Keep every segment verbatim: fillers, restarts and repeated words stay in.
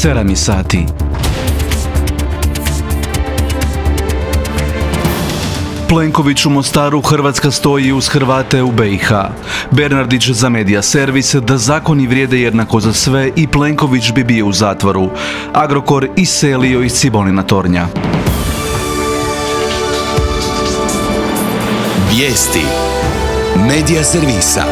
sedam je sati. Plenković u Mostaru, Hrvatska stoji uz Hrvate u be i ha. Bernardić za Medija servis da zakoni vrijede jednako za sve i Plenković bi bio u zatvoru. Agrokor iselio iz Cibolina tornja. Vijesti Medija servisa.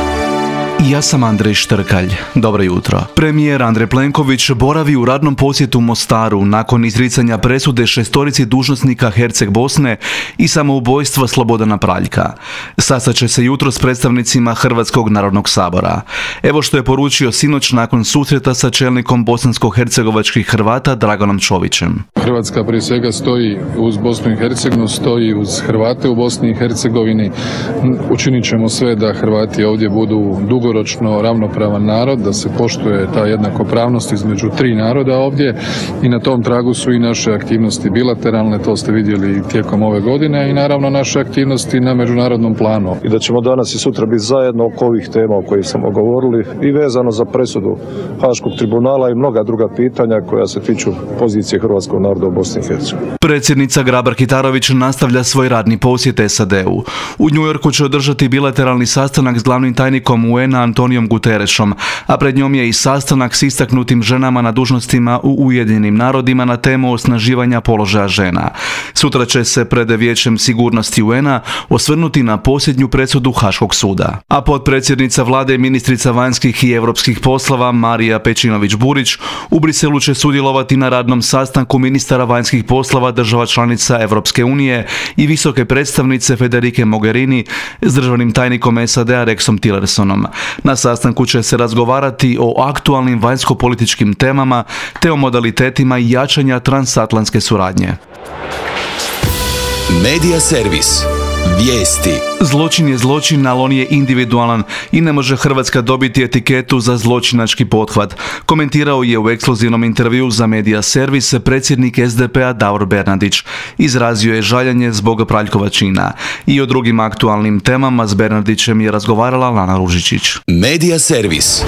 Ja sam Andrej Štrkalj. Dobro jutro. Premijer Andrej Plenković boravi u radnom posjetu u Mostaru nakon izricanja presude šestorici dužnosnika Herceg Bosne i samoubojstva Slobodana Praljka. Sastat će se jutro s predstavnicima Hrvatskog narodnog sabora. Evo što je poručio sinoć nakon susreta sa čelnikom bosansko-hercegovačkih Hrvata Dragonom Čovićem. Hrvatska prije svega stoji uz Bosnu i Hercegovinu, stoji uz Hrvate u Bosni i Hercegovini. Učinit ćemo sve da Hrvati ovdje budu dugo dugoročno ravnopravan narod, da se poštuje ta jednakopravnost između tri naroda ovdje i na tom tragu su i naše aktivnosti bilateralne, to ste vidjeli tijekom ove godine, i naravno naše aktivnosti na međunarodnom planu. I da ćemo danas i sutra biti zajedno oko ovih tema o kojih smo govorili i vezano za presudu Haškog tribunala i mnoga druga pitanja koja se tiču pozicije hrvatskog naroda u Bosni i Hercegovini. Predsjednica Grabar-Kitarović nastavlja svoj radni posjet es a de u. U Njujorku će održati bilateralni sastanak s glavnim tajnikom u en a Antonijom Guterešom, a pred njom je i sastanak s istaknutim ženama na dužnostima u Ujedinjenim narodima na temu osnaživanja položaja žena. Sutra će se pred Vijećem sigurnosti u en a osvrnuti na posljednju presudu Haškog suda. A potpredsjednica vlade i ministrica vanjskih i europskih poslova Marija Pejčinović-Burić u Briselu će sudjelovati na radnom sastanku ministara vanjskih poslova država članica Europske unije i visoke predstavnice Federike Mogherini s državnim tajnikom es a de a Rexom Tillersonom. Na sastanku će se razgovarati o aktualnim vanjsko-političkim temama te o modalitetima jačanja transatlantske suradnje. Medija servis. Vijesti. Zločin je zločin, ali on je individualan i ne može Hrvatska dobiti etiketu za zločinački pothvat. Komentirao je u ekskluzivnom intervjuu za Medija servis predsjednik es de pe a Davor Bernardić. Izrazio je žaljenje zbog Praljkova čina. I o drugim aktualnim temama s Bernardićem je razgovarala Lana Ružičić. Medija servis.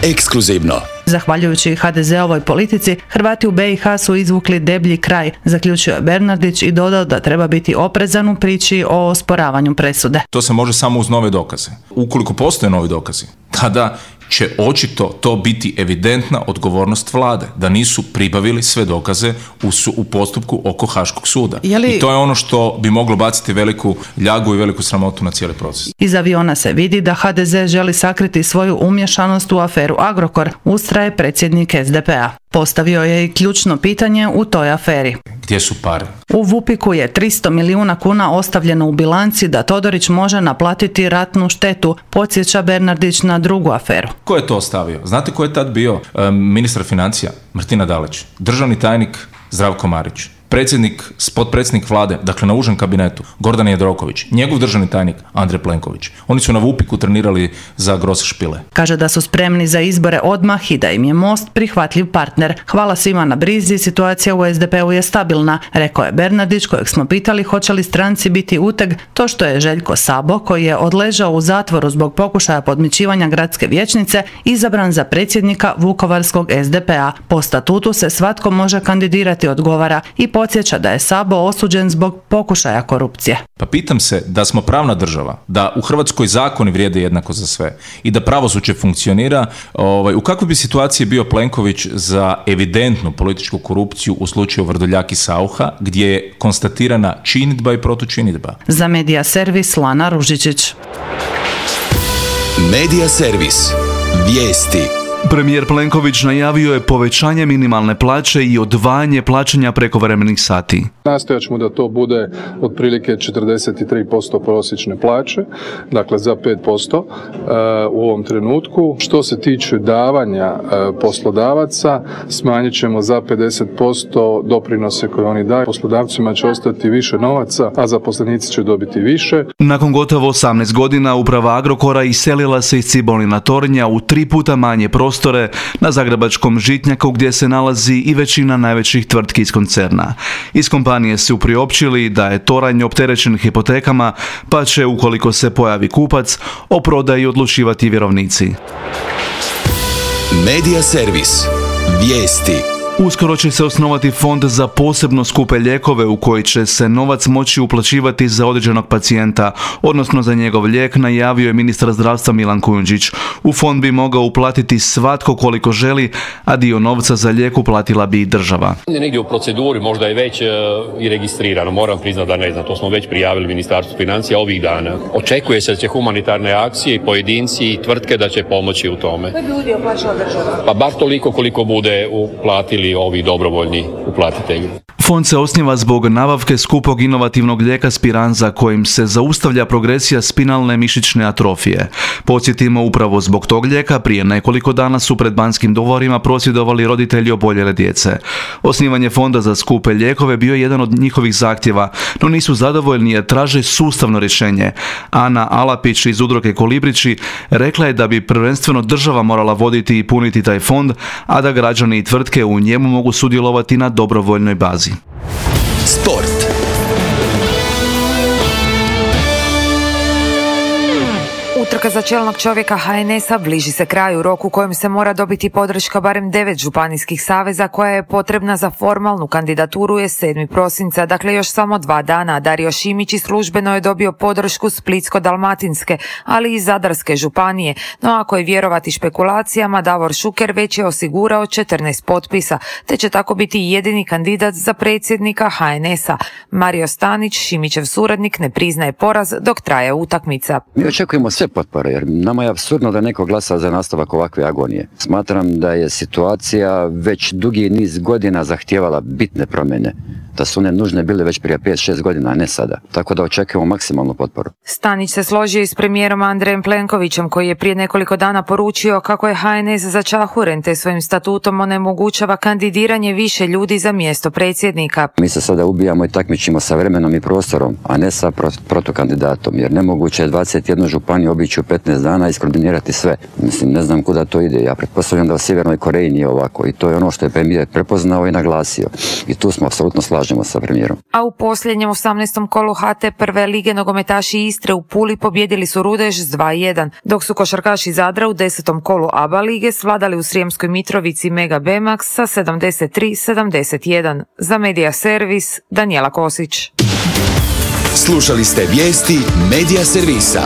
Ekskluzivno. Zahvaljujući ha de zeovoj politici, Hrvati u be i ha su izvukli deblji kraj, zaključio je Bernardić i dodao da treba biti oprezan u priči o osporavanju presude. To se može samo uz nove dokaze. Ukoliko postoje novi dokazi, tada će očito to biti evidentna odgovornost vlade, da nisu pribavili sve dokaze u, su, u postupku oko Haškog suda. Li... I to je ono što bi moglo baciti veliku ljagu i veliku sramotu na cijeli proces. Iz aviona se vidi da ha de ze želi sakriti svoju umješanost u aferu Agrokor, ustraje predsjednik es de pe a. Postavio je i ključno pitanje u toj aferi. Gdje su pare? U Vupiku je tristo milijuna kuna ostavljeno u bilanci da Todorić može naplatiti ratnu štetu, podsjeća Bernardić na drugu aferu. Ko je to ostavio? Znate ko je tad bio e, ministar financija? Martina Dalić. Državni tajnik Zdravko Marić. Predsjednik, potpredsjednik vlade, dakle na užem kabinetu, Gordan Jandroković, njegov državni tajnik Andrej Plenković. Oni su na Vupiku trenirali za Grosse Špile. Kaže da su spremni za izbore odmah i da im je Most prihvatljiv partner. Hvala svima na brizi, situacija u es de pe u je stabilna, rekao je Bernardić, kojeg smo pitali hoće li stranci biti uteg to što je Željko Sabo, koji je odležao u zatvoru zbog pokušaja podmićivanja gradske vijećnice, izabran za predsjednika Vukovarskog es de pe a. Po statutu se svatko može kandidirati, odgovara, i podsjeća da je Sabo osuđen zbog pokušaja korupcije. Pa pitam se da smo pravna država, da u Hrvatskoj zakoni vrijede jednako za sve i da pravosuđe funkcionira, ovaj, u kakvoj bi situaciji bio Plenković za evidentnu političku korupciju u slučaju Vrdoljak i Saucha, gdje je konstatirana činidba i protučinidba. Za Medija servis Lana Ružičić. Medija servis. Vijesti. Premijer Plenković najavio je povećanje minimalne plaće i odvajanje plaćanja prekovremenih sati. Nastojat ćemo da to bude otprilike četrdeset tri posto prosječne plaće, dakle za pet posto u ovom trenutku. Što se tiče davanja poslodavaca, smanjit ćemo za pedeset posto doprinose koje oni daju. Poslodavcima će ostati više novaca, a zaposlenici će dobiti više. Nakon gotovo osamnaest godina uprava Agrokora iselila se iz Cibolina tornja u tri puta manje prostore na zagrebačkom Žitnjaku, gdje se nalazi i većina najvećih tvrtki iz koncerna. Iz kompanije su priopćili da je toranj opterećen hipotekama, pa će, ukoliko se pojavi kupac, o prodaji odlučivati vjerovnici. Medija servis. Vijesti. Uskoro će se osnovati fond za posebno skupe lijekove u koji će se novac moći uplaćivati za određenog pacijenta, odnosno za njegov lijek, najavio je ministar zdravstva Milan Kujundžić. U fond bi mogao uplatiti svatko koliko želi, a dio novca za lijek uplatila bi i država. Negdje u proceduri, možda je već e, i registrirano, moram priznati da ne znam, to smo već prijavili Ministarstvu financija ovih dana. Očekuje se da će humanitarne akcije i pojedinci i tvrtke da će pomoći u tome. Koji bi udio plaćala država? Pa bar toliko koliko bude uplatili ovi dobrovoljni uplatitelji. Fond se osniva zbog nabavke skupog inovativnog lijeka Spinraza kojim se zaustavlja progresija spinalne mišićne atrofije. Podsjetimo, upravo zbog tog lijeka prije nekoliko dana su pred Banskim dvorima prosvjedovali roditelji oboljele djece. Osnivanje fonda za skupe lijekove bio je jedan od njihovih zahtjeva, no nisu zadovoljni jer traže sustavno rješenje. Ana Alapić iz udruge Kolibrići rekla je da bi prvenstveno država morala voditi i puniti taj fond, a da građani i tvrtke u njemu mogu sudjelovati na dobrovoljnoj bazi. Sport. Utrka za čelnog čovjeka ha en es-a bliži se kraju, rok u kojem se mora dobiti podrška barem devet županijskih saveza koja je potrebna za formalnu kandidaturu je sedmog prosinca, dakle još samo dva dana. Dario Šimić i službeno je dobio podršku Splitsko-dalmatinske, ali i Zadarske županije, no ako je vjerovati špekulacijama, Davor Šuker već je osigurao četrnaest potpisa, te će tako biti jedini kandidat za predsjednika ha en es-a. Mario Stanić, Šimićev suradnik, ne priznaje poraz dok traje utakmica. Mi očekujemo sve potpore, jer nama je apsurdno da neko glasa za nastavak ovakve agonije. Smatram da je situacija već dugi niz godina zahtijevala bitne promjene, da su one nužne bile već prije pet šest godina, a ne sada. Tako da očekujemo maksimalnu potporu. Stanić se složio i s premijerom Andrejem Plenkovićem, koji je prije nekoliko dana poručio kako je ha en es začahuren te svojim statutom onemogućava kandidiranje više ljudi za mjesto predsjednika. Mi se sada ubijamo i takmičimo sa vremenom i prostorom, a ne sa protukandidatom, jer nemoguće je dvadeset jednu županiju obići u petnaest dana i iskoordinirati sve. Mislim, ne znam kuda to ide. Ja pretpostavljam da u Sjevernoj Koreji nije ovako i to je ono što je premijer prepoznao i naglasio. I tu smo apsolutno slažemo sa premijerom. A u posljednjem osamnaestom kolu ha te prve lige nogometaši Istre u Puli pobjedili su Rudež s dva jedan, dok su košarkaši Zadra u desetom kolu a ba lige svladali u Srijemskoj Mitrovici Mega Bemax sa sedamdeset tri sedamdeset jedan. Za Medija Servis, Danijela Kosić. Slušali ste vijesti Medija Servisa.